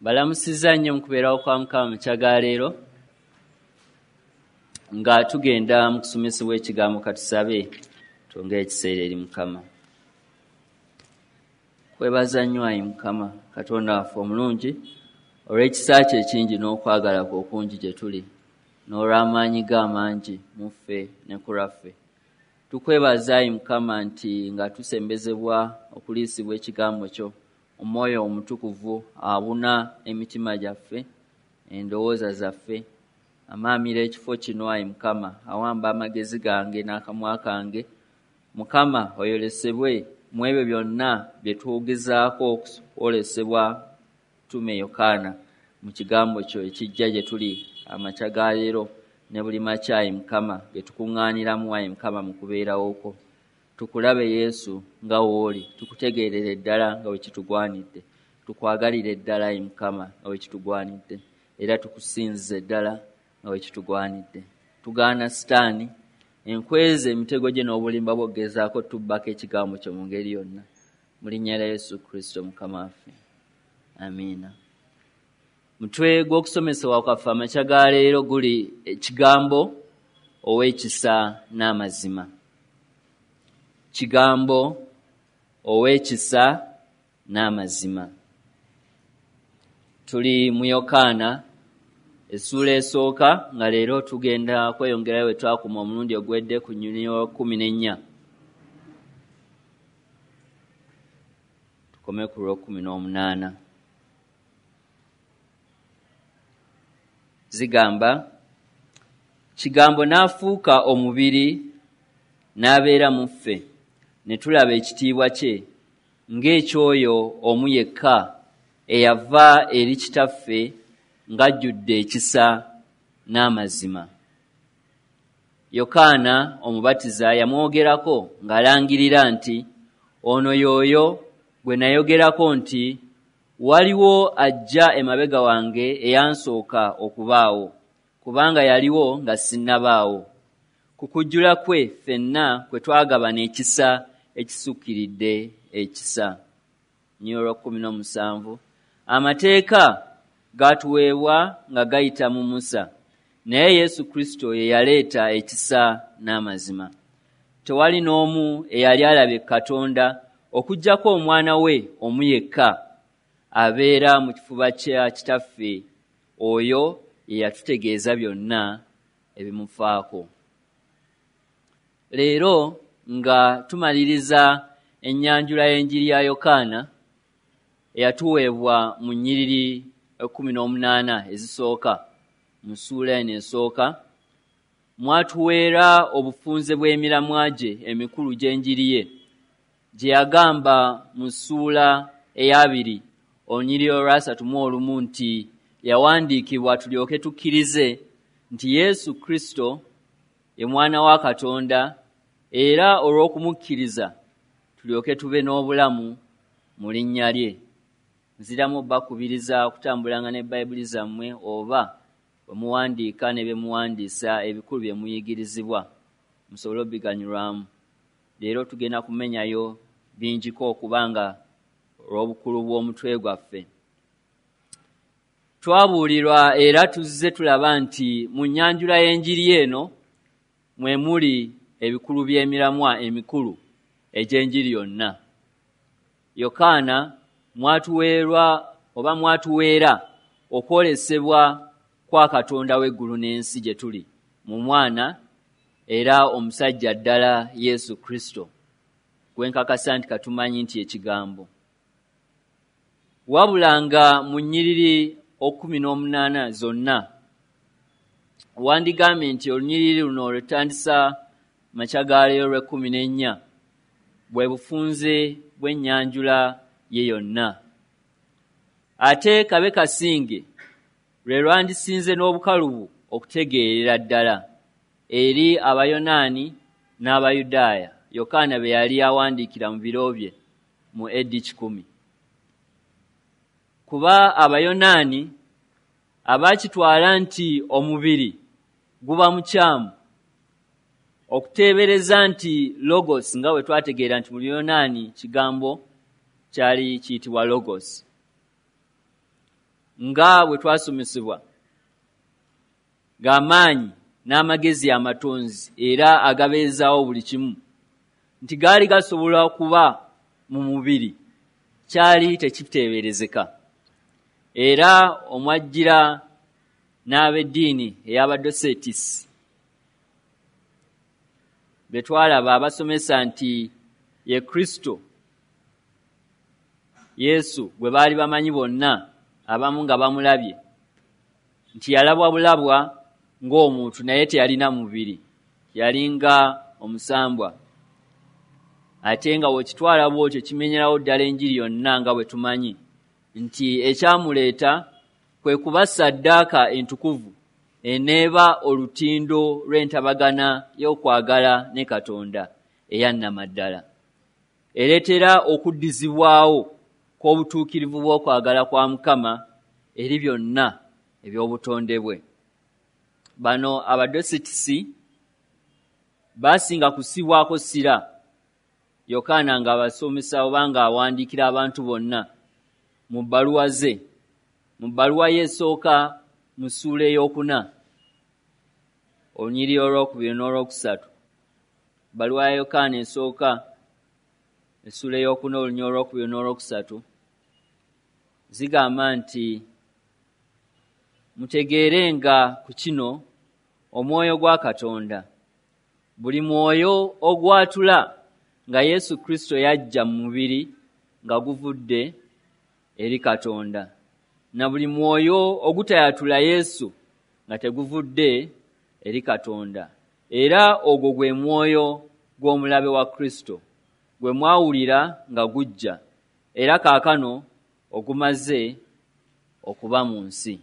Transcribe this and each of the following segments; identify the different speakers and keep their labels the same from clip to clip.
Speaker 1: Balamusizza nnyo mu kubeerawo kwa Mukama mu kya ga leero nga tugenda mu kusomesebwa ekigambo. Katusabe twongere ekiseera eri Mukama. Kwebaza nnyo ayi Mukama Katonda waffe omulungi olw'ekisa kye ekingi n'okwagala kwe okungi gye tuli n'olw'amaanyi ge amangi mu ffe ne ku lwaffe. Tukwebaza ayi Mukama nti nga tusembezebwa okuliisibwa ekigambo kyo, Omwoyo Omutukuvu abuna emitima gyaffe, endowooza zaffe, amaamira ekifo kino ayi Mukama, awamba amagezi gange n'akamwa kange. Mukama oyolesebwe mu ebyo byonna bye tugezaako okwolesebwa Tume Yokaana mu kigambo kyo ekijja gye tuli amakya ga leero ne buli makya ayi Mukama ge tukuŋŋaaniramu ayi Mukama mu kubeerawo kwo. Tukulabe Yesu nga w'oli, tukutegeerere ddala nga bwe kitugwanidde, tukwagalire ddala ayi Mukama nga bwe kitugwanidde, era tukusinzize ddala nga bwe kitugwanidde. Tugaana Sitaani enkweza emitego gye n'obulimba bw'okugezaako tubbako ekigambo kyo mu ngeri yonna. Mu linnya lya Yesu Kristo Mukama waffe. Amiina. Mutwe gw'okusomesebwa kwaffe amakya ga leero guli ekigambo ow'ekisa n'amazima. Kigambo ow'ekisa n'amazima. Tuli mu Yokaana essuula esooka, nga leero tugenda kweyongerayo we twakoma omulundi oguwedde ku nnyiriri 14. Tukome ku lw'okkumi n'omunaana. Zigamba, kigambo n'afuuka omubiri n'abeera mu ffe, ne tulaba ekitiibwa kye ng'eky'oyo omu yekka eyava eri Kitaffe ng'ajjudde ekisa n'amazima. Yokaana Omubatiza yamwogerako ng'alangirira nti ono y'oyo gwe nayogerako nti waliwo ajja emabega wange eyansooka okubaawo, kubanga yaliwo nga sinnabaawo. Ku kujjula kwe ffenna kwe twagabana ekisa ekisukkiridde ekisa. 17. Amateeka gaatuweebwa nga gayita mu Musa, naye Yesu Kristo ye yaleeta ekisa n'amazima. Tewali n'omu eyali alabye Katonda okuggyako omwana we omu yekka abeera mu kifuba kya Kitaffe, oyo ye yatutegeeza byonna ebimufaako. Leero nga tumaliriza ennyanjula y'enjiri ya Yokaana eyatuweebwa mu nnyiriri 18 ezisooka mu ssuula eno esooka, mwatuweera obufunze bw'emiramwa gye emikulu gy'enjiri ye gye yagamba mu ssuula eyabiri olunyiriri olwasatu mu olumu nti yawandiikibwa tulyoke tukkirize nti Yesu Kristo ye mwana wa Katonda, era olw'okumukkiriza tulyoke tube n'obulamu mu linnya lye. Nziramu bakubiriza okutambulanga ne Bayibuli zammwe oba bwe muwandiika ne bye muwandiisa ebikulu bye muyigirizibwa musobole obiganyulwamu. Leero tugenda kumenyayo bingiko okubanga olw'obukulu bw'omutwe gwaffe. Twabuulirwa era tuzze tulaba nti mu nnyanjula y'enjiri eno mwe muli ebikulu by'emiramwa emikulu egy'enjiri yonna. Yokaana mwatuweerwa oba mwatuweera okwolesebwa kwa Katonda w'eggulu n'ensi gye tuli mu mwana era omusajja ddala Yesu Kristo, gwe nkakasa nti katumanyi nti ekigambo. Wabula nga mu nnyiriri 18 zonna wandigambye nti olunyiriri luno lwetutandisa makya ga leero lw'ekkumi n'ennya bwe bufunze bw'ennyanjula ye yonna. Ate kabe kasinge lwe lwandisinze n'obukalubu okutegeerera ddala eri Abayonaani n'Abayudaaya Yokaana be yali awandiikira mu biro bye mu AD 100. Kuba Abayonaani abaakitwala nti omubiri guba mukyamu okuteebereza nti logos, nga bwe twategeera nti mu Luyonaani kigambo kyali kiyitibwa logos. nga bwe twasomesebwa g'amaanyi n'amagezi amatonzi era agabeezaawo buli kimu, nti gaali gasobola okuba mu mubiri, kyali tekiteeberezeka. Era omwajjira n'ab'eddiini ey'Abadosetisi be twalaba abasomesa nti ye Kristo Yesu gwe baali bamanyi bonna, abamu nga bamulabye, nti yalabwa bulabwa ng'omuntu naye teyalina mubiri, yalinga omusambwa. Ate nga bw'okitwala bw'otyo kimenyerawo ddala enjiri yonna nga bwe tumanyi nti ekyamuleeta kwe kuba ssaddaaka entukuvu eneeba olutindo lw'entabagana y'okwagala ne Katonda eyannamaddala, ereetera okuddizibwawo kw'obutuukirivu bw'okwagala kwa Mukama eri byonna eby'obutonde bwe. Bano Abadosetisi baasinga kussibwako ssira Yokaana ng'abasomesa oba ng'awandiikira abantu bonna mu bbaluwa ze. Mu bbaluwa ye esooka mu ssuula ey'okuna, olunyiriri olwokubiri n'olwokusatu. Bbaluwa ya Yokaana esooka essuula ey'okuna olunyiriri olwokubiri n'olwokusatu zigamba nti, mutegeerenga ku kino omwoyo gwa Katonda, buli mwoyo ogwatula nga Yesu Kristo yajja mu mubiri nga guvudde eri Katonda, na buli mwoyo ogutayatula Yesu nga teguvudde eri Katonda, era ogwo gwe mwoyo gw'omulabe wa Kristo gwe mwawulira nga gujja, era kaakano ogumaze okuba mu nsi.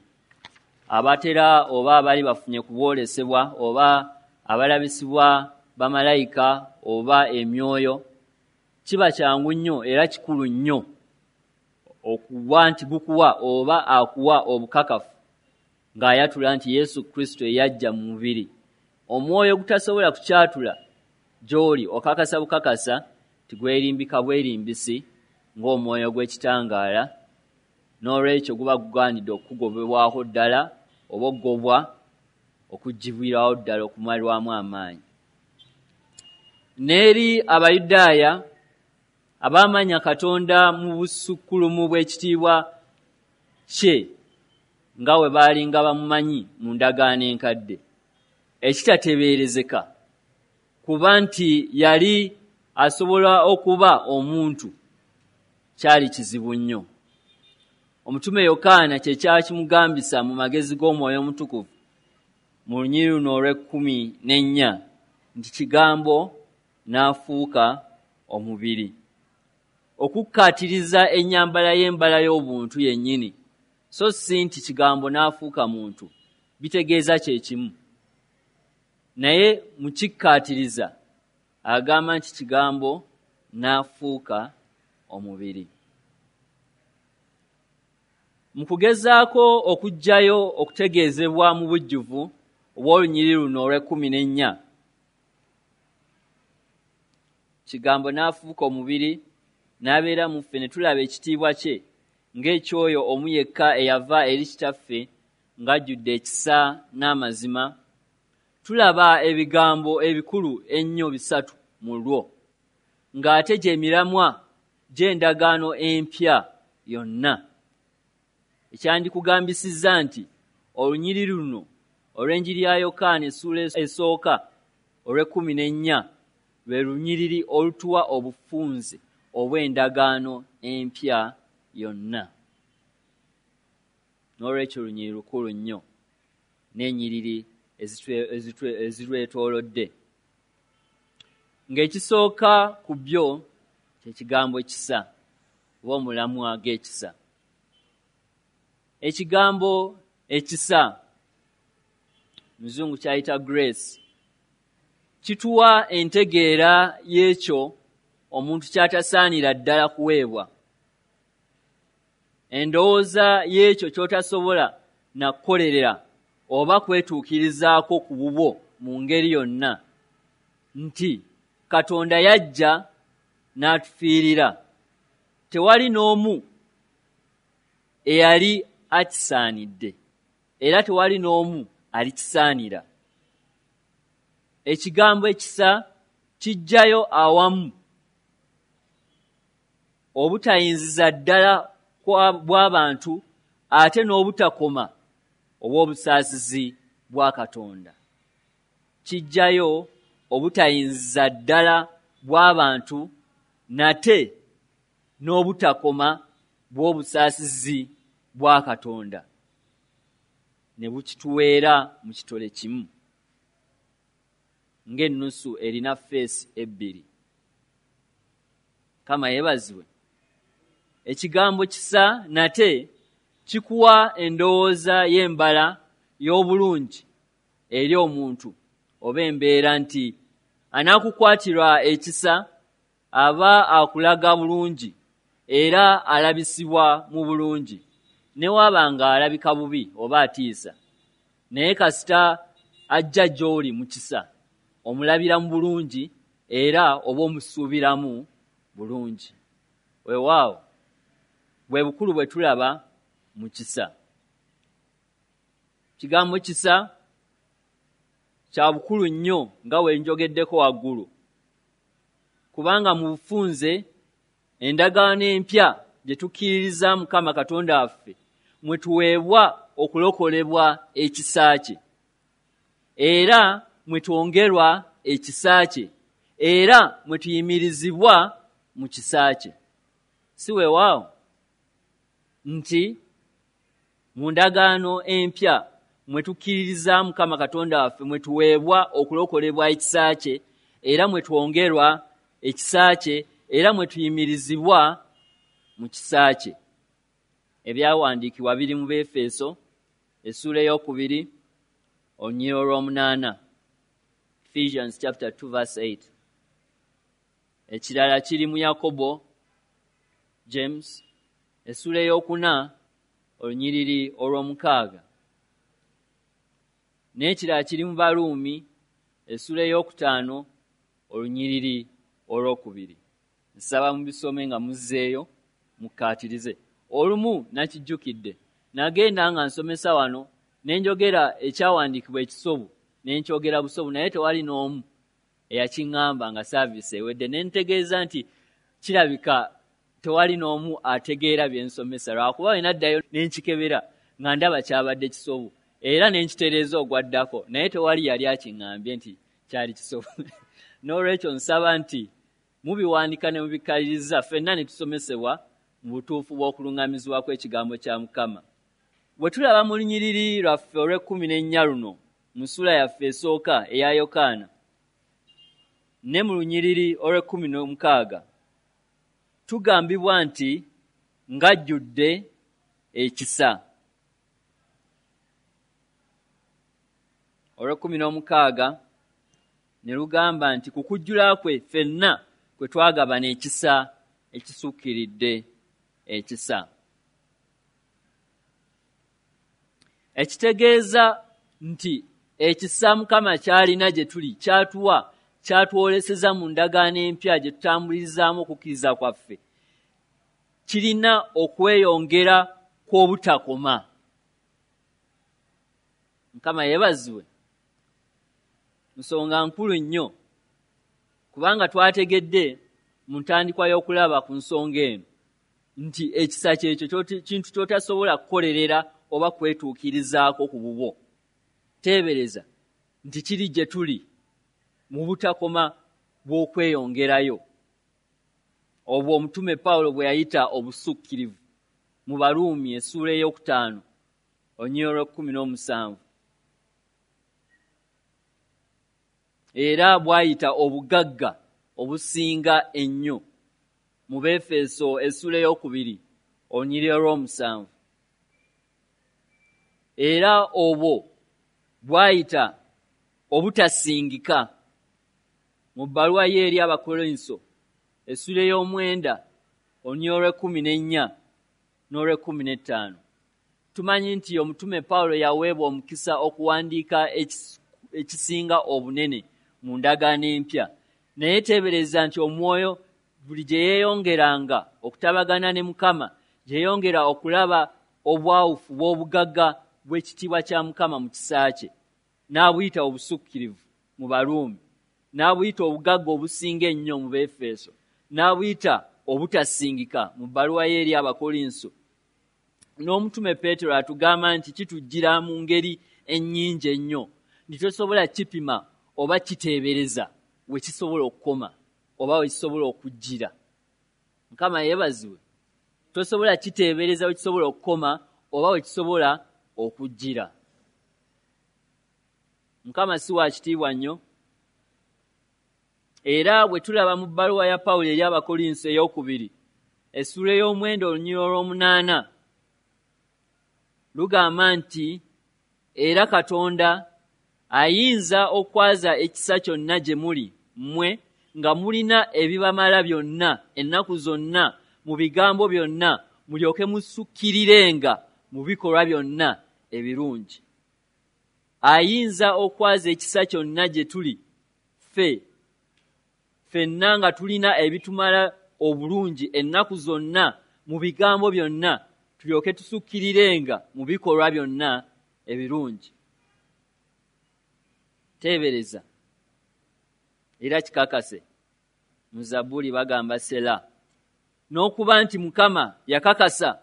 Speaker 1: Abatera oba abali bafunye kubwolesebwa oba abalabisibwa bamalayika oba emyoyo, kiba kyangu nnyo era kikulu nnyo okuba nti gukuwa oba akuwa obukakafu ng'ayatula nti Yesu Kristo eyajja mu mubiri. Omwoyo gutasobola kukyatula gy'oli okakasa bukakasa nti gwerimbika bwerimbisi ng'omwoyo gw'ekitangaala, n'olwekyo guba gugaanidde okukugobebwako ddala oba okugobwa okuggyibwirawo ddala okumalwamu amaanyi. N'eri Abayudaaya abaamanya Katonda mu busukkulumu bw'ekitiibwa kye nga bwe baalinga bamumanyi mu ndagaano enkadde, ekitateeberezeka kuba nti yali asobola okuba omuntu kyali kizibu nnyo. Omutume Yokaana kye kyakimugambisa mu magezi g'Omwoyo Omutukuvu mu lunyiriri luno olw'ekkumi n'ennya nti Kigambo n'afuuka omubiri, okukkaatiriza ennyambala y'embala y'obuntu yennyini, so si nti Kigambo n'afuuka muntu, bitegeeza kye kimu. Naye mu kikkaatiriza agamba nti Kigambo n'afuuka omubiri. Mu kugezaako okuggyayo okutegeezebwa mu bujjuvu obw'olunyiriri luno olw'ekkumi n'ennya, Kigambo n'afuuka omubiri n'abeera mu ffe ne tulaba ekitiibwa kye ng'ekyoyo omu yekka eyava eri Kitaffe ng'ajjudde ekisa n'amazima, tulaba ebigambo ebikulu ennyo bisatu mu lwo, ng'ate gy'emiramwa gy'endagaano empya yonna. Ekyandikugambisizza nti olunyiriri luno olw'enjiri ya Yokaana essuula esooka olw'ekkumi n'ennya lwe lunyiriri olutuwa obufunze obw'endagaano empya yonna. N'olwekyo lunyiriri lukulu nnyo n'ennyiriri ezirwetoolodde. Ng'ekisooka ku byo kye kigambo kisa oba omulamwa g'ekisa. Ekigambo ekisa muzungu kyayita grace kituwa entegeera y'ekyo omuntu ky'atasaanira ddala kuweebwa, endowooza y'ekyo ky'otasobola na kukolerera oba kwetuukirizaako ku bubwo mu ngeri yonna, nti Katonda yajja n'atufiirira. Tewali n'omu eyali akisaanidde, era tewali n'omu alikisaanira. Ekigambo ekisa kijjayo awamu obutayinziza ddala bw'abantu ate n'obutakoma obw'obusaasizi bwa Katonda. Kijjayo obutayinziza ddala bw'abantu nate n'obutakoma bw'obusaasizi bwa Katonda, ne bukituweera mu kitole kimu ng'ennusu erina feesi ebbiri. Kama yeebazibwe. Ekigambo kisa nate kikuwa endowooza y'embala y'obulungi eri omuntu oba embeera nti anaakukwatirwa ekisa aba akulaga bulungi era alabisibwa mu bulungi, ne waaba nga alabika bubi oba atiisa, naye kasita ajja gy'oli mu kisa omulabira mu bulungi era oba omusuubiramu bulungi. Weewaawo bwe bukulu bwe tulaba mu kisa. Kigambo kisa kya bukulu nnyo nga bwe njogeddeko waggulu, kubanga mu bufunze endagaano empya gye tukkiririza Mukama Katonda waffe mwe tuweebwa okulokolebwa ekisa kye, era mwe twongerwa ekisa kye, era mwe tuyimirizibwa mu kisa kye. Si weewaawo nti mu ndagaano empya mwe tukkiririza Mukama Katonda waffe mwe tuweebwa okulokolebwa ekisa kye, era mwe twongerwa ekisa kye, era mwe tuyimirizibwa mu kisa kye. Ebyawandiikibwa biri mu Befeso essuula 2 olunyiriri olw'omunaana, Ephesians chapter 2 verse 8. Ekirala kiri mu Yakobo, James, essuula 4 olunyiriri olw'omukaaga. N'ekirala kiri mu Baruumi essuula 5 olunyiriri olwokubiri. Nsaba mubisome nga muzzeeyo mukkaatirize. Olumu nakijjukidde, nagenda nga nsomesa wano ne njogera ekyawandiikibwa ekisobu ne nkyogera busobu, naye tewali n'omu eyakiŋŋamba nga saaviisi ewedde. Ne ntegeeza nti kirabika tewali n'omu ategeera bye nsomesa, lwakuba bwe naddayo ne nkikebera nga ndaba kyabadde kisobu, era ne nkitereeza ogwaddako, naye tewali yali akiŋŋambye nti kyali kisobu. N'olwekyo nsaba nti mubiwandika ne mubikkaliriza ffenna ne tusomesebwa mu butuufu bw'okuluŋŋamizibwa kw'ekigambo kya Mukama. Bwe tulaba mu lunyiriri lwaffe olw'e14 luno mu ssuula yaffe esooka eya Yokaana ne mu lunyiriri olw'e16 tugambibwa nti ng'ajjudde ekisa. Olw'e16 ne lugamba nti ku kujjula kwe ffenna kwe twagabana ekisa ekisukkiridde ekisa. Ekitegeeza nti ekisa Mukama ky'alina gye tuli kyatuwa, kyatwoleseza mu ndagaano empya gye tutambulizaamu okukkiriza kwaffe, kirina okweyongera kw'obutakoma. Mukama yeebazibwe. Nsonga nkulu nnyo, kubanga twategedde mu ntandikwa y'okulaba ku nsonga eno nti ekisa kyekyo kintu ky'otasobola kukolerera oba kwetuukirizaako ku bubwo. Teebereza nti kiri gye tuli mu butakoma bw'okweyongerayo, obwo omutume Pawulo bwe yayita obusukkirivu mu Baruumi essuula 5 olunyiriri olw'e17, era bw'ayita obugagga obusinga ennyo mu Befeso essuula 2 olunyiriri olw'omusanvu, era obwo bw'ayita obutasingika mu bbaluwa ye eri Abakolinso essuula 9 olunyiriri olw'e14 n'olw'e15. Tumanyi nti omutume Pawulo yaweebwa omukisa okuwandiika ekisinga obunene mu ndagaano empya, naye teebereza nti omwoyo buli gye yeeyongeranga okutabagana ne Mukama, gye yeeyongera okulaba obwawufu bw'obugagga bw'ekitiibwa kya Mukama mu kisa kye, n'abuyita obusukkirivu mu Baruumi, n'abuyita obugagga obusinga ennyo mu Beefeso, n'abuyita obutasingika mu bbaluwa ye eri Abakolinso. N'omutume Peetero atugamba nti kitujjira mu ngeri ennyingi ennyo, nti tosobola kipima oba kiteebereza we kisobola okukoma oba we kisobola okujjira. Mukama yeebazibwe. Tosobola kiteebereza we kisobola okukoma oba we kisobola okujjira. Mukama si wa kitiibwa nnyo. Era bwe tulaba mu bbaluwa ya Pawulo eri Abakolinso ey'okubiri, essuula ey'omwenda olunyiriri olw'omunaana, lugamba nti era Katonda ayinza okwaza ekisa kyonna gye muli mmwe nga mulina ebibamala byonna ennaku zonna mu bigambo byonna, mulyoke musukkirirenga mu bikolwa byonna ebirungi. Ayinza okwaza ekisa kyonna gye tuli ffe ffenna nga tulina ebitumala obulungi ennaku zonna mu bigambo byonna, tulyoke tusukkirirenga mu bikolwa byonna ebirungi. Teebereza era kikakase, mu Zabbuli bagamba Sela, n'okuba nti Mukama yakakasa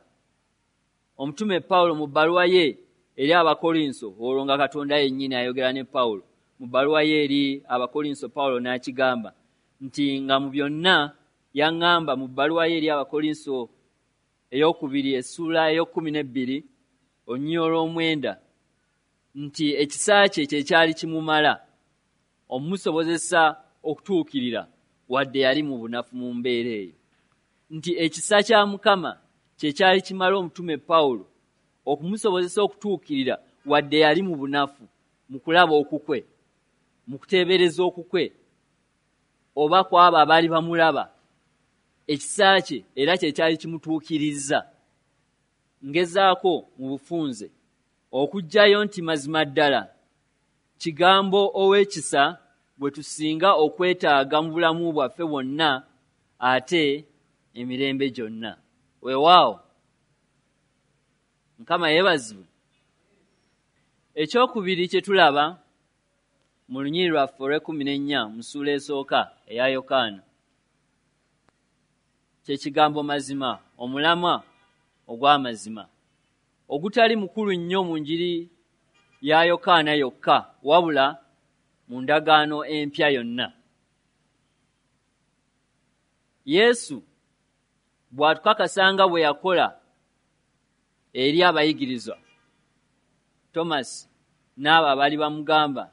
Speaker 1: omutume Pawulo mu bbaluwa ye eri Abakolinso, olwo nga Katonda yennyini ayogera ne Pawulo mu bbaluwa ye eri Abakolinso, Pawulo n'akigamba nti nga mu byonna yaŋŋamba mu bbaluwa ye eri Abakolinso ey'okubiri essuula ey'okkumi n'ebbiri olunyiriri olw'omwenda nti ekisa kye kye kyali kimumala omumusobozesa okutuukirira wadde yali mu bunafu mu mbeera eyo, nti ekisa kya Mukama kye kyali kimala omutume Pawulo okumusobozesa okutuukirira wadde yali mu bunafu mu kulaba okukwe, mu kuteebereza okukwe oba kw'abo abaali bamulaba. Ekisa kye era kye kyali kimutuukiriza. Ngezaako mu bufunze okuggyayo nti mazima ddala kigambo ow'ekisa bwe tusinga okwetaaga mu bulamu bwaffe bwonna ate emirembe gyonna. Weewaawo, Mukama yeebazibwe. Ekyokubiri kye tulaba mu lunyiriri lwaffe olw'ekkumi n'ennya mu ssuula esooka eya Yokaana kye kigambo mazima, omulamwa ogw'amazima ogutali mukulu nnyo mu njiri ya Yokaana yokka, wabula mu ndagaano empya yonna. Yesu bw'atukakasanga bwe yakola eri abayigirizwa Tomasi n'abo abaali bamugamba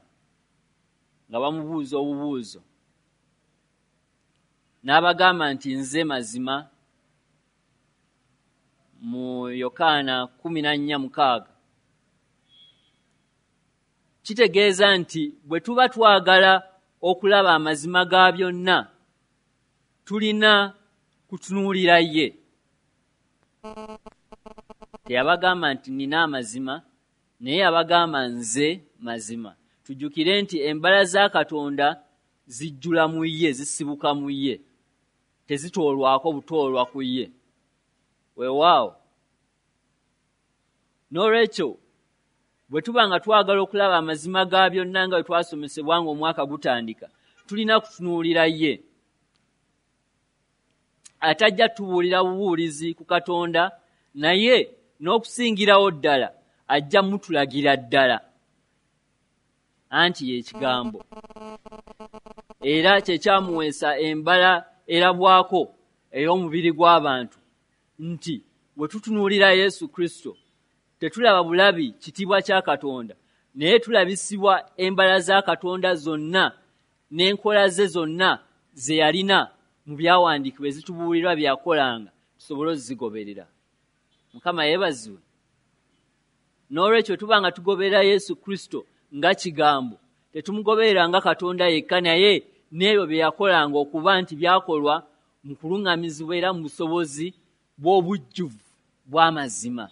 Speaker 1: nga bamubuuza obubuuzo, n'abagamba nti nze mazima mu Yokaana 14:6, kitegeeza nti bwe tuba twagala okulaba amazima ga byonna, tulina kutunuulira ye. Teyabagamba nti nina amazima, naye yabagamba nze mazima. Tujjukire nti embala za Katonda zijjula mu ye, zisibuka mu ye, tezitoolwako butoolwa ku ye. Weewaawo, n'olwekyo bwe tuba nga twagala okulaba amazima ga byonna nga bwe twasomesebwa nga omwaka gutandika, tulina kutunuulira ye atajja tubuulira bubuulizi ku Katonda, naye n'okusingirawo ddala ajja mutulagira ddala, anti ye kigambo, era kye kyamuweesa embala erabwako ey'omubiri gw'abantu, nti bwe tutunuulira Yesu Kristo tetulaba bulabi kitiibwa kya Katonda, naye tulabisibwa embala za Katonda zonna n'enkola ze zonna ze yalina mu byawandiikibwa ezitubuulirwa bye yakolanga, tusobole ozigoberera. Mukama yeebazibwe. N'olwekyo tuba nga tugoberera Yesu Kristo nga kigambo, tetumugoberera nga Katonda yekka, naye n'ebyo bye yakolanga okuba nti byakolwa mu kuluŋŋamizibwa era mu busobozi bw'obujjuvu bw'amazima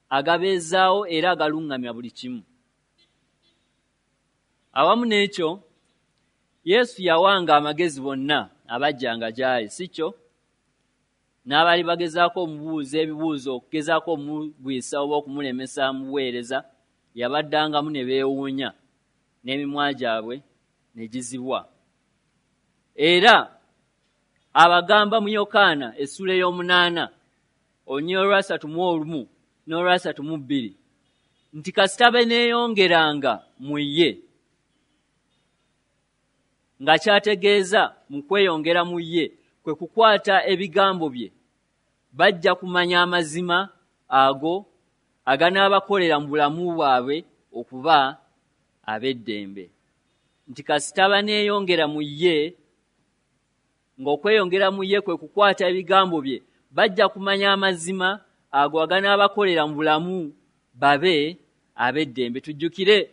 Speaker 1: agabeezaawo era agaluŋŋamya buli kimu. Awamu n'ekyo, Yesu yawanga amagezi bonna abajjanga gy'ali, si kyo? N'abaali bagezaako omubuuza ebibuuzo okugezaako omugwisa oba okumulemesa mu buweereza, yabaddangamu ne beewuunya, n'emimwa gyabwe ne gizibwa. Era abagamba mu Yokaana essula ey'omunaana olunyiriri olwasatu mu olumu n'olwasatu mu bbiri nti kasita beneeyongeranga mu ye, nga kyategeeza mu kweyongera mu ye kwe kukwata ebigambo bye, bajja kumanya amazima ago aganaabakolera mu bulamu bwabwe okuba ab'eddembe. Nti kasita baneeyongera mu ye, ng'okweyongera mu ye kwe kukwata ebigambo bye, bajja kumanya amazima ago aganaabakolera mu bulamu babe ab'eddembe. Tujjukire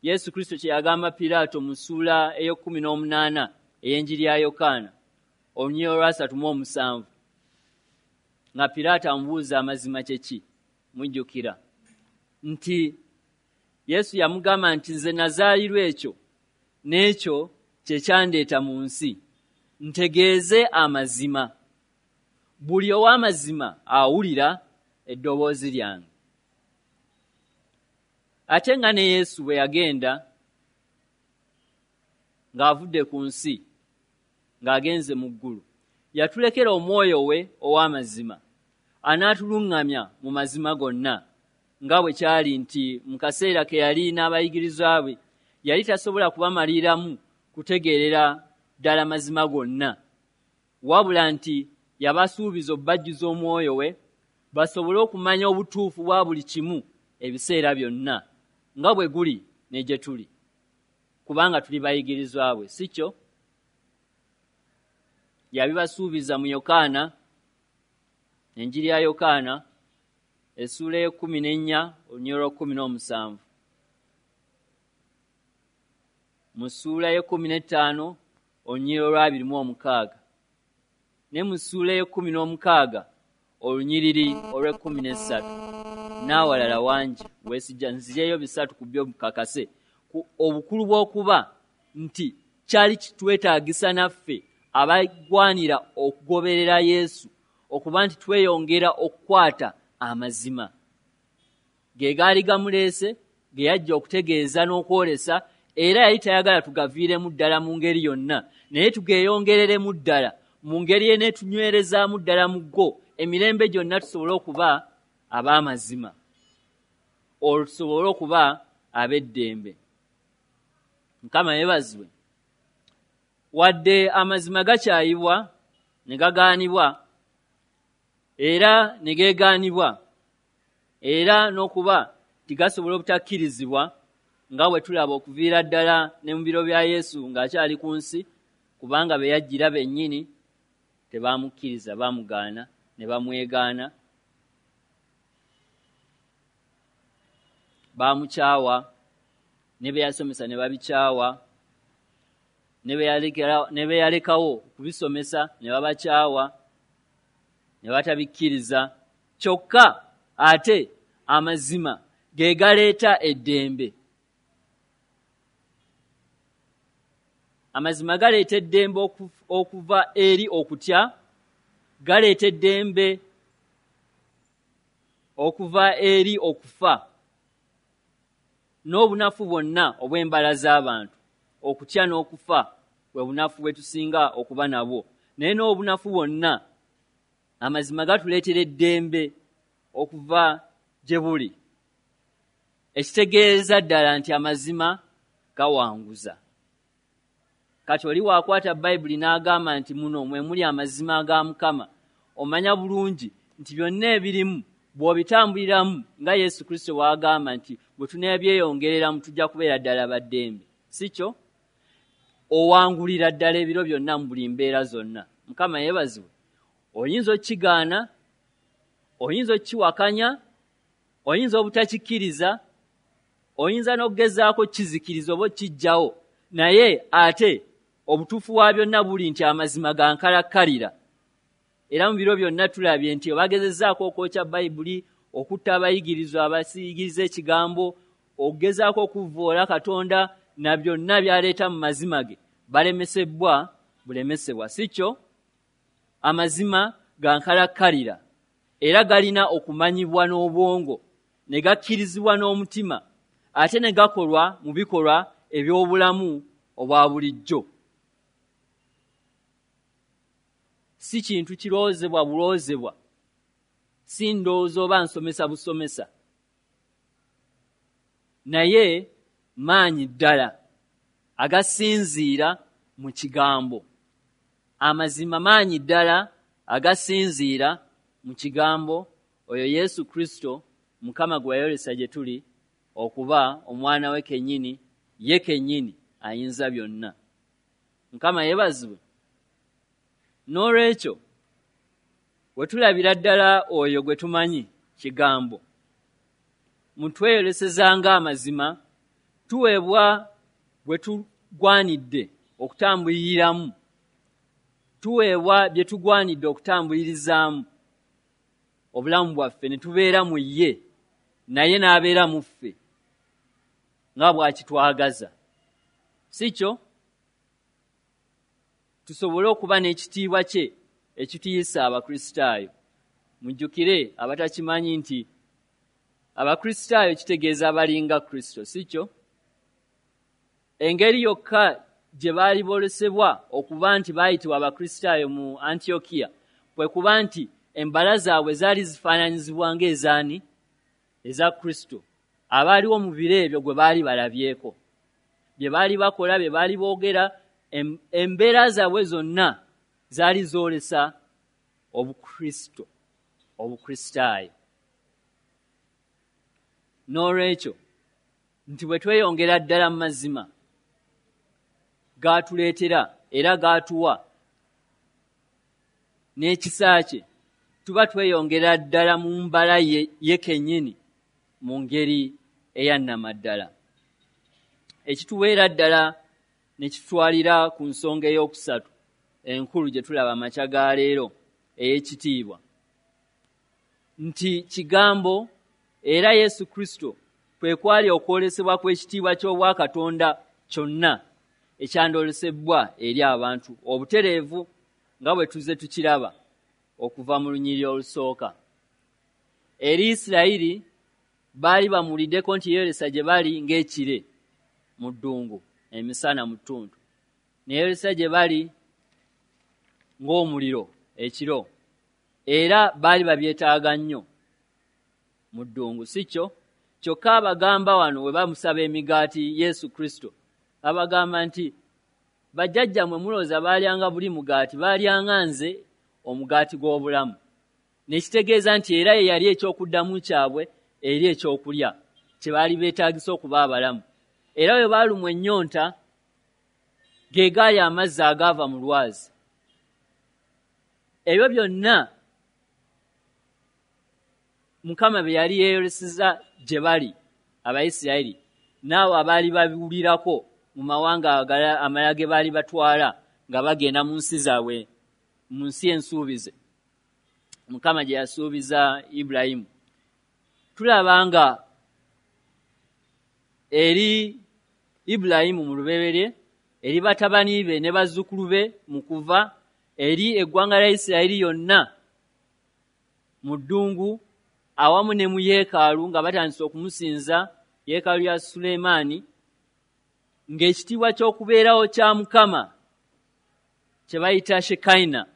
Speaker 1: Yesu Kristo kye yagamba Piraato mu ssuula ey'ekkumi n'omunaana ey'enjiri ya Yokaana olunyiriri olwasatu mu omusanvu, nga Piraato amubuuza amazima kye ki. Mujjukira nti Yesu yamugamba nti nze nazaalirwa ekyo, n'ekyo kye kyandeeta mu nsi, ntegeeze amazima. Buli ow'amazima awulira eddoboozi lyange. Ate nga ne Yesu bwe yagenda ng'avudde ku nsi ng'agenze mu ggulu, yatulekera omwoyo we ow'amazima anaatuluŋŋamya mu mazima gonna, nga bwe kyali nti mu kaseera ke yali n'abayigirizwa be yali tasobola kubamaliramu kutegeerera ddala mazima gonna, wabula nti yabasuubiza obbajjuza omwoyo we basobole okumanya obutuufu bwa buli kimu ebiseera byonna, nga bwe guli ne gye tuli, kubanga tuli bayigirizwa bwe, si kyo? Yabibasuubiza mu Yokaana, enjiri ya Yokaana essuula ey'ekkumi n'ennya olunyiriri olw'ekkumi n'omusanvu, mu ssuula ey'ekkumi n'ettaano olunyiriri olw'abiri mu omukaaga, ne mu ssuula ey'ekkumi n'omukaaga olunyiriri olw'ekkumi n'essatu, n'awalala wangi weesijja nzijeeyo bisatu ku byo mukakase obukulu bw'okuba nti kyali kitwetaagisa naffe abagwanira okugoberera Yesu okuba nti tweyongera okukwata amazima ge gaali gamuleese, ge yajja okutegeeza n'okwolesa, era yali tayagala tugaviiremu ddala mu ngeri yonna, naye tugeeyongereremu ddala mu ngeri eneetunywerezaamu ddala mu go emirembe gyonna, tusobole okuba ab'amazima, olwo tusobole okuba ab'eddembe. Mukama yeebazibwe. Wadde amazima gakyayibwa ne gagaanibwa era ne geegaanibwa, era n'okuba tigasobola obutakkirizibwa, nga bwe tulaba okuviira ddala ne mu biro bya Yesu ng'akyali ku nsi, kubanga be yajjira bennyini tebamukkiriza, bamugaana ne bamwegaana, bamukyawa, ne bye yasomesa ne babikyawa, ne bye yalekawo okubisomesa ne babakyawa, ne batabikkiriza. Kyokka ate amazima ge galeeta eddembe. Amazima galeeta eddembe okuva eri okutya, galeeta eddembe okuva eri okufa n'obunafu bwonna obw'embala z'abantu. Okutya n'okufa bwe bunafu bwe tusinga okuba nabwo, naye n'obunafu bwonna amazima gatuleetera eddembe okuva gye buli, ekitegeeza ddala nti amazima gawanguza. Kati oli waakwata Bayibuli n'agamba nti muno mwe muli amazima ga Mukama, omanya bulungi nti byonna ebirimu bw'obitambuliramu nga Yesu Kristo bw'agamba nti bwe tuneebyeyongereramu tujja kubeera ddala baddembe, si kyo? Owangulira ddala ebiro byonna mu buli mbeera zonna. Mukama yeebazibwe. Oyinza okkigaana, oyinza okkiwakanya, oyinza obutakikkiriza, oyinza n'okugezaako kizikiriza oba okkiggyawo, naye ate obutuufu bwa byonna buli nti amazima ga nkalakkalira. Era mu biro byonna tulabye nti bagezezzaako okwokya Bayibuli, okutta abayigirizwa abasiyigiriza ekigambo, okugezaako okuvvoola Katonda na byonna by'aleeta mu mazima ge, balemesebbwa bulemesebwa, si kyo? Amazima ga nkalakkalira era galina okumanyibwa n'obwongo, ne gakkirizibwa n'omutima, ate ne gakolwa mu bikolwa eby'obulamu obwa bulijjo. Si kintu kirowoozebwa bulowoozebwa, si ndowooza oba nsomesa busomesa, naye maanyi ddala agasinziira mu kigambo. Amazima maanyi ddala agasinziira mu kigambo, oyo Yesu Kristo Mukama gwe yayolesa gye tuli okuba omwana we kennyini, ye kennyini ayinza byonna. Mukama yeebazibwe. N'olwekyo we tulabira ddala oyo gwe tumanyi kigambo, mutweyolesezanga amazima, tuweebwa bwe tugwanidde okutambuliriramu, tuweebwa bye tugwanidde okutambulirizaamu obulamu bwaffe, ne tubeera mu ye, naye n'abeera mu ffe nga bw'akitwagaza. Si kyo? Tusobole okuba n'ekitiibwa kye ekituyisa Abakristaayo. Mujjukire abatakimanyi nti Abakristaayo kitegeeza abalinga Kristo, si kyo? Engeri yokka gye baali boolesebwa okuba nti baayitibwa Abakristaayo mu Antiokiya kwe kuba nti embala zaabwe zaali zifaananyizibwa ng'ezaani? Eza Kristo, abaaliwo mu biro ebyo gwe baali balabyeko. Bye baali bakola, bye baali boogera, embeera zaabwe zonna zaali zoolesa Obukristo, Obukristaayo. N'olwekyo nti bwe tweyongera ddala mu mazima gaatuleetera era gaatuwa n'ekisa kye, tuba tweyongera ddala mu mbala ye kennyini mu ngeri eyannamaddala. Ekituweera ddala ne kitutwalira ku nsonga ey'okusatu enkulu gye tulaba amakya ga leero ey'ekitiibwa, nti kigambo era Yesu Kristo kwe kwali okwolesebwa kw'ekitiibwa ky'Obwakatonda kyonna ekyandyolesebwa eri abantu obutereevu nga bwe tuzze tukiraba okuva mu lunyiriri olusooka. Eri Isirayiri baali bamuwuliddeko nti yeeyolesa gye bali ng'ekire mu ddungu emisana mu ttuntu, ne yeeyolesa gye bali ng'omuliro ekiro, era baali babyetaaga nnyo mu ddungu, si kyo? Kyokka abagamba wano we bamusaba emigaati Yesu Kristo, abagamba nti bajjajjammwe mulowooza baalyanga buli mugaati, baalyanga nze omugaati gw'obulamu. Ne kitegeeza nti era ye yali eky'okuddamu kyabwe eri ekyokulya kye baali beetaagisa okuba abalamu. Era bwe baalumwa ennyonta, ge gaali amazzi agaava mu lwazi. Ebyo byonna Mukama bye yali yeeyoleseza gye bali Abayisirayiri n'abo abaali babiwulirako mu mawanga amalala ge baali batwala nga bagenda mu nsi zaabwe, mu nsi ensuubize Mukama gye yasuubiza Ibulayimu. Tulaba nga eri Ibulayimu mu lubereberye, eri batabani be ne bazzukulu be mu kuva, eri eggwanga lya Isirayiri yonna mu ddungu awamu ne mu yeekaalu nga batandise okumusinza, yeekaalu ya Sulemaani, ng'ekitiibwa ky'okubeerawo kya Mukama kye bayita Shekaina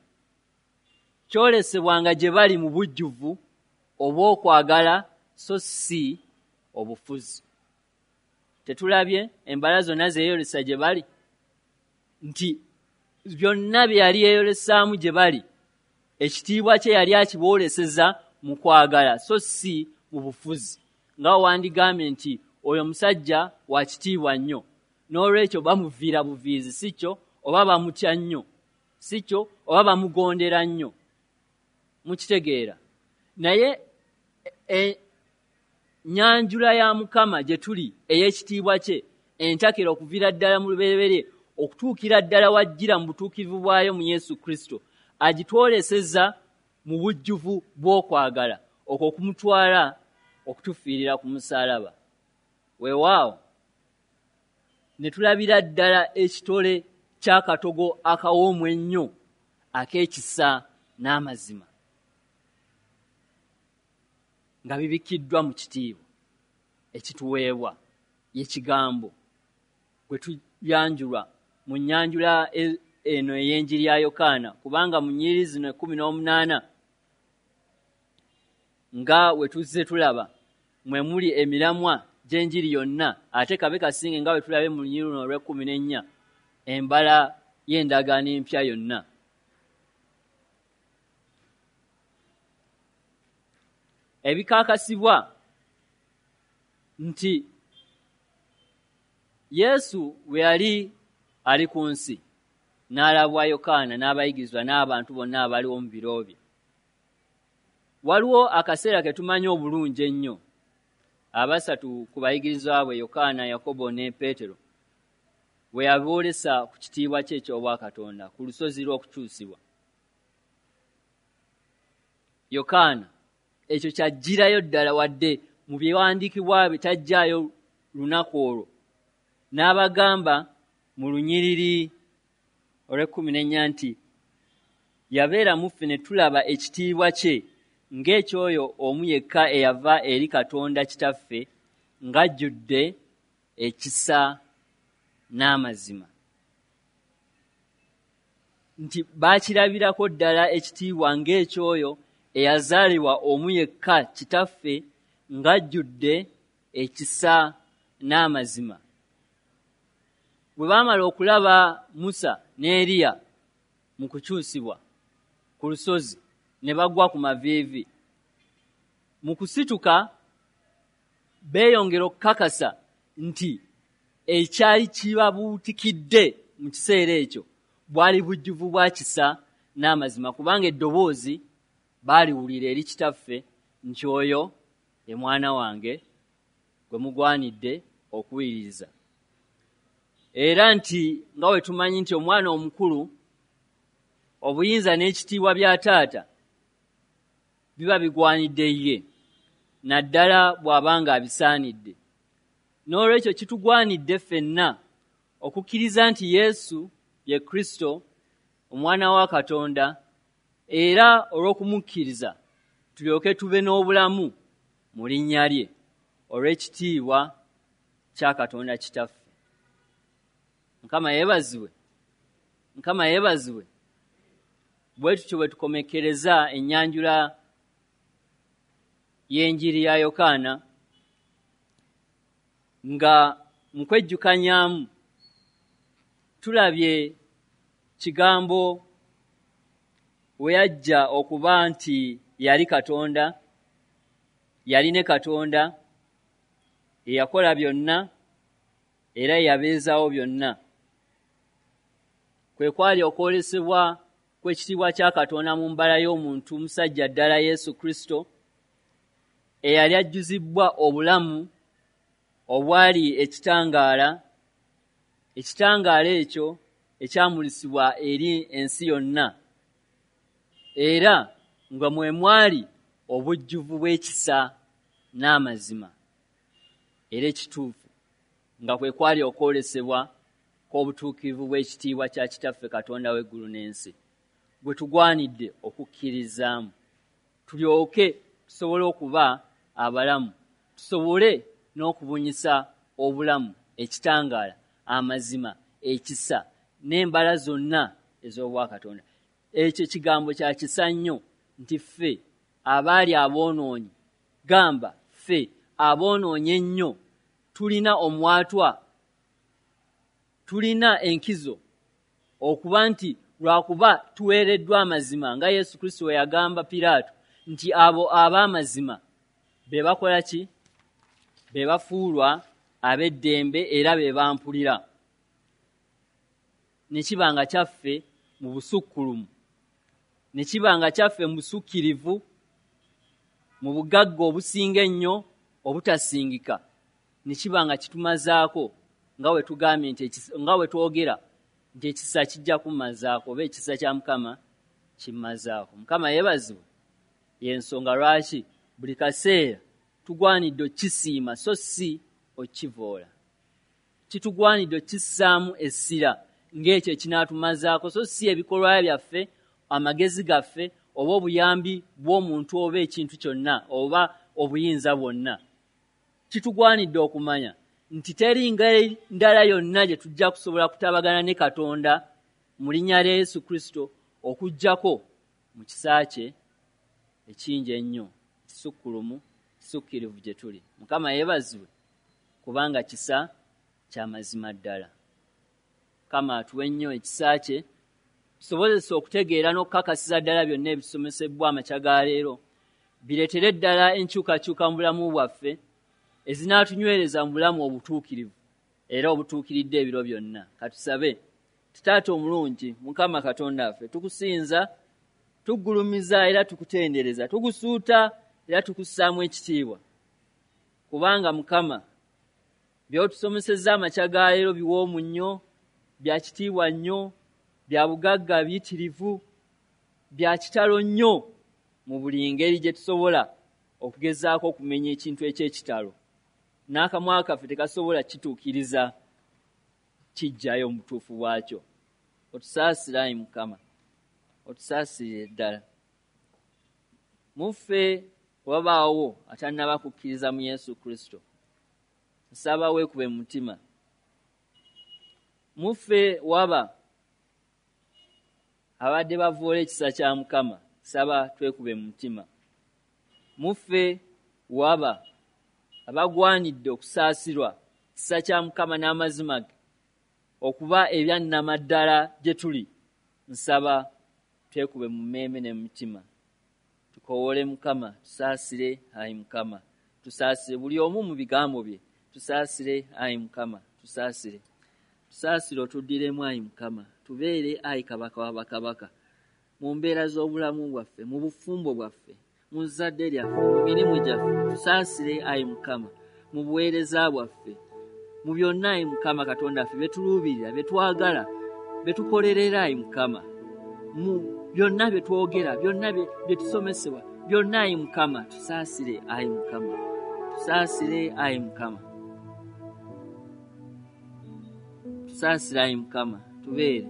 Speaker 1: kyolesebwanga gye bali mu bujjuvu obw'okwagala so si obufuzi. Tetulabye embala zonna ze yeeyolesa gye bali, nti byonna bye yali yeeyolesaamu gye bali, ekitiibwa kye yali akibooleseza mu kwagala so si mu bufuzi, nga wandigambye nti oyo musajja wa kitiibwa nnyo, n'olwekyo bamuviira buviizi, si kyo? Oba bamutya nnyo, si kyo? Oba bamugondera nnyo. Mukitegeera? Naye ennyanjula ya Mukama gye tuli ey'ekitiibwa kye entakera okuviira ddala mu lubereberye okutuukira ddala wajjira mu butuukirivu bwayo mu Yesu Kristo, agitwoleseza mu bujjuvu bw'okwagala okwo okumutwala okutufiirira ku musaalaba. Weewaawo ne tulabira ddala ekitole ky'akatogo akawoomu ennyo ak'ekisa n'amazima nga bibikiddwa mu kitiibwa ekituweebwa ye kigambo bwe tuyanjulwa mu nnyanjula eno ey'enjiri ya Yokaana, kubanga mu nnyiriri zino 18 nga we tuzze tulaba mwe muli emiramwa gy'enjiri yonna, ate kabe kasinge nga bwe tulabe mu lunyiriri luno olw'e14 embala y'endagaano empya yonna. Ebikakasibwa nti Yesu bwe yali ali ku nsi n'alabwa Yokaana n'abayigirizwa n'abantu bonna abaliwo mu biro bye. Waliwo akaseera ke tumanyi obulungi ennyo abasatu ku bayigirizwa bwe Yokaana, Yakobo ne Peetero bwe yaboolesa ku kitiibwa kye eky'Obwakatonda ku lusozi lw'okukyusibwa. Yokaana ekyo kyajjirayo ddala wadde mu byewandiikibwa bye tajjaayo lunaku olwo, n'abagamba mu lunyiriri olw'e14 nti yabeera mu ffe ne tulaba ekitiibwa kye ng'ekyoyo omu yekka eyava eri Katonda Kitaffe ng'ajjudde ekisa n'amazima. Nti baakirabirako ddala ekitiibwa ng'ekyoyo eyazaalibwa omu yekka Kitaffe ng'ajjudde ekisa n'amazima. Bwe baamala okulaba Musa ne Eriya mu kukyusibwa ku lusozi ne bagwa ku maviivi, mu kusituka beeyongera okukakasa nti ekyali kibabuutikidde mu kiseera ekyo bwali bujjuvu bwa kisa n'amazima, kubanga eddoboozi baaliwulira eri Kitaffe nti oyo ye mwana wange gwe mugwanidde okuwuliriza. Era nti nga bwe tumanyi nti omwana omukulu obuyinza n'ekitiibwa bya taata biba bigwanidde ye, naddala bw'abanga abisaanidde. N'olwekyo kitugwanidde ffenna okukkiriza nti Yesu ye Kristo omwana wa Katonda, era olw'okumukkiriza tulyoke tube n'obulamu mu linnya lye olw'ekitiibwa kya Katonda Kitaffe. Mukama yeebazibwe. Mukama yeebazibwe. Bwe tutyo bwe tukomekkereza ennyanjula y'enjiri ya Yokaana nga mu kwejjukanyaamu tulabye kigambo we yajja okuba nti yali Katonda, yali ne Katonda, eyakola byonna era eyabeezaawo byonna. Kwe kwali okwolesebwa kw'ekitiibwa kya Katonda mu mbala y'omuntu musajja ddala Yesu Kristo, eyali ajjuzibbwa obulamu obwali ekitangaala, ekitangaala ekyo ekyamulisibwa eri ensi yonna, era nga mwe mwali obujjuvu bw'ekisa n'amazima era ekituufu, nga kwe kwali okwolesebwa kw'obutuukirivu bw'ekitiibwa kya Kitaffe Katonda w'eggulu n'ensi, gwe tugwanidde okukkirizaamu tulyoke tusobole okuba abalamu, tusobole n'okubunyisa obulamu, ekitangaala, amazima, ekisa n'embala zonna ez'Obwakatonda. Ekyo kigambo kya kisa nnyo nti ffe abaali aboonoonyi, gamba ffe aboonoonyi ennyo, tulina omwatwa, tulina enkizo okuba nti lwakuba tuweereddwa amazima, nga Yesu Kristo bwe yagamba Piraato nti abo ab'amazima be bakola ki? Be bafuulwa ab'eddembe era be bampulira. Ne kiba nga kyaffe mu busukkulumu, ne kiba nga kyaffe mu busukkirivu, mu bugagga obusinga ennyo obutasingika, ne kiba nga kitumazaako nga bwe tugambye nti nga bwe twogera nti ekisa kijja kummazaako oba ekisa kya Mukama kimmazaako. Mukama yeebazibwe. Y'ensonga lwaki buli kaseera tugwanidde okukisiima so si okukivoola. Kitugwanidde okukissaamu essira ng'ekyo ekinatumazaako so si ebikolwa byaffe, amagezi gaffe oba obuyambi bw'omuntu oba ekintu kyonna oba obuyinza bwonna. Kitugwanidde okumanya nti teri ngeri ndala yonna gye tujja kusobola kutabagana ne Katonda mu linnya lya Yesu Kristo okuggyako mu kisa kye ekingi ennyo, ekisukkulumu, ekisukkirivu gye tuli. Mukama yeebazibwe kubanga kisa kya mazima ddala. Mukama atuwe nnyo ekisa kye tusobozese okutegeera n'okukakasiza ddala byonna ebisomesebwa amakya ga leero, bireetere ddala enkyukakyuka mu bulamu bwaffe ezinatunywereza mu bulamu obutuukirivu era obutuukiridde ebiro byonna. Katusabe. Taata omulungi, Mukama Katonda waffe, tukusinza, tuggulumiza era tukutendereza, tukusuuta era tukussaamu ekitiibwa, kubanga Mukama by'otusomesezza amakya ga leero biwoomu nnyo, bya kitiibwa nnyo, bya bugagga biyitirivu, bya kitalo nnyo mu buli ngeri gye tusobola okugezaako okumenya ekintu eky'ekitalo. N'akamwa kaffe tekasobola kituukiriza kijjayo mu butuufu bwakyo. Otusaasire ayi Mukama, otusaasirire ddala. Mu ffe wabaawo atannaba kukkiriza mu Yesu Kristo, nsaba weekube mu mutima. Mu ffe waba abadde bavoola ekisa kya Mukama, nsaba twekube mu mutima. Mu ffe waba abagwanidde okusaasirwa ekisa kya Mukama n'amazima ge okuba ebyannamaddala gye tuli, nsaba twekube mu mmeeme ne mu mitima. Tukowoole Mukama, tusaasire ayi Mukama, tusaasire buli omu mu bigambo bye, tusaasire ayi Mukama, tusaasire. Tusaasire otuddiremu ayi Mukama, tubeere ayi Kabaka wa bakabaka mu mbeera z'obulamu bwaffe, mu bufumbo bwaffe, mu zzadde lyaffe, mu mirimu gyaffe. Tusaasire ayi Mukama mu buweereza bwaffe, mu byonna ayi Mukama Katonda waffe bye tuluubirira, bye twagala, bye tukolerera ayi Mukama, mu byonna bye twogera, byonna bye tusomesebwa, byonna ayi Mukama, tusaasire ayi Mukama, tusaasire ayi Mukama, tusaasire ayi Mukama, tubeere,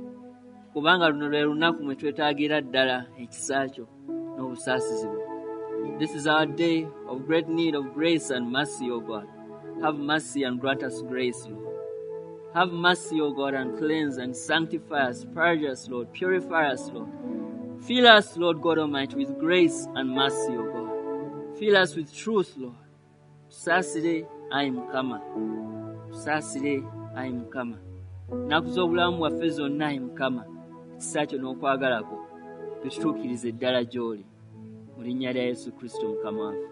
Speaker 1: kubanga luno lwe lunaku mwe twetaagira ddala ekisa kyo n'obusaasizi bwo. This is our day of great need of grace and mercy, O God. Have mercy and grant us grace, Lord. Have mercy, O God, and cleanse and sanctify us, purge us, Lord, purify us, Lord. Fill us, Lord God Almighty, with grace and mercy, O God. Fill us with truth, Lord. Tusaasire ayi Mukama, tusaasire ayi Mukama. Ennaku z'obulamu bwaffe zonna ayi Mukama, ekisa kyo n'okwagala kwo bitutuukirize ddala gy'oli. Mu linnya lya Yesu Kristo Mukama waffe.